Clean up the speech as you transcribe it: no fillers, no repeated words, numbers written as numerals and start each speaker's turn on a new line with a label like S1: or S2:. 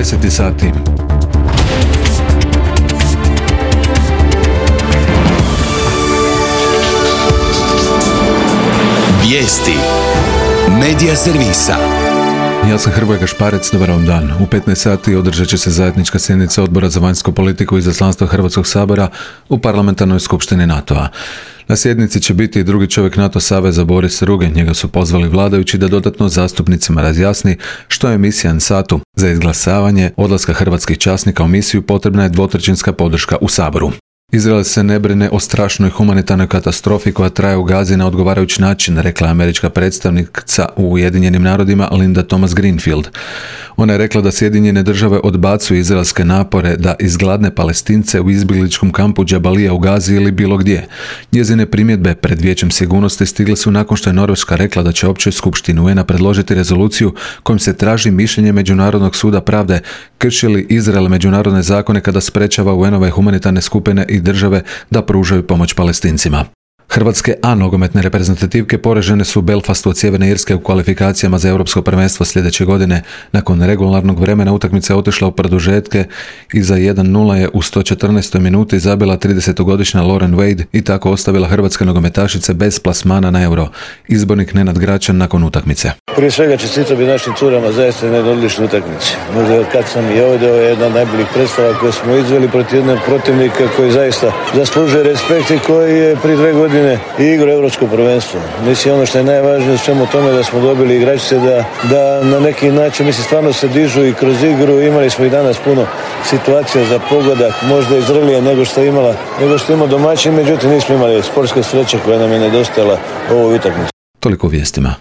S1: 10 sati.
S2: Vijesti Medija servisa.
S1: Ja sam Hrvoje Gašparec, dobar vam dan. U 15 sati održat će se zajednička sjednica Odbora za vanjsku politiku i izaslanstva Hrvatskog sabora u parlamentarnoj skupštini NATO-a. Na sjednici će biti i drugi čovjek NATO saveza Boris Ruge. Njega su pozvali vladajući da dodatno zastupnicima razjasni što je misija NSATU. Za izglasavanje odlaska hrvatskih časnika u misiju potrebna je dvotrećinska podrška u Saboru. Izrael se ne brine o strašnoj humanitarnoj katastrofi koja traje u Gazi na odgovarajući način, rekla je američka predstavnica u Ujedinjenim narodima Linda Thomas-Greenfield. Ona je rekla da Sjedinjene države odbacuju izraelske napore da izgladne Palestince u izbjegličkom kampu Džabalija u Gazi ili bilo gdje. Njezine primjedbe pred Vijećem sigurnosti stigle su nakon što je Norveška rekla da će Općoj skupštini UN-a predložiti rezoluciju kojom se traži mišljenje Međunarodnog suda pravde krši li Izrael međunarodne zakone kada sprečava UN-ove humanitarne skupine i države da pružaju pomoć Palestincima. Hrvatske A nogometne reprezentativke poražene su u Belfastu od Sjeverne Irske u kvalifikacijama za Europsko prvenstvo sljedeće godine. Nakon regularnog vremena utakmica je otišla u produžetke i za 1:0 je u 114. minuti zabila 30-godišnja Lauren Wade i tako ostavila hrvatske nogometašice bez plasmana na Euro. Izbornik Nenad Gračan nakon utakmice.
S3: Prije svega čestitao bi našim curama zaista na jednoj odličnoj utakmici. Možda kad sam i ovdje, ovo je jedna od najboljih predstava koje smo izveli protiv jednog protivnika koji zaista zaslužuje respekt i koji je prije 2 godine i igra Europsko prvenstvo. Mislim, ono što je najvažnije u svemu tome da smo dobili igračice da na neki način, mislim, stvarno se dižu i kroz igru. Imali smo i danas puno situacija za pogodak, možda i zrelije nego što ima domaćin, međutim nismo imali sportske sreće koja nam je nedostajala ovu utakmicu.
S1: Toliko o vijestima.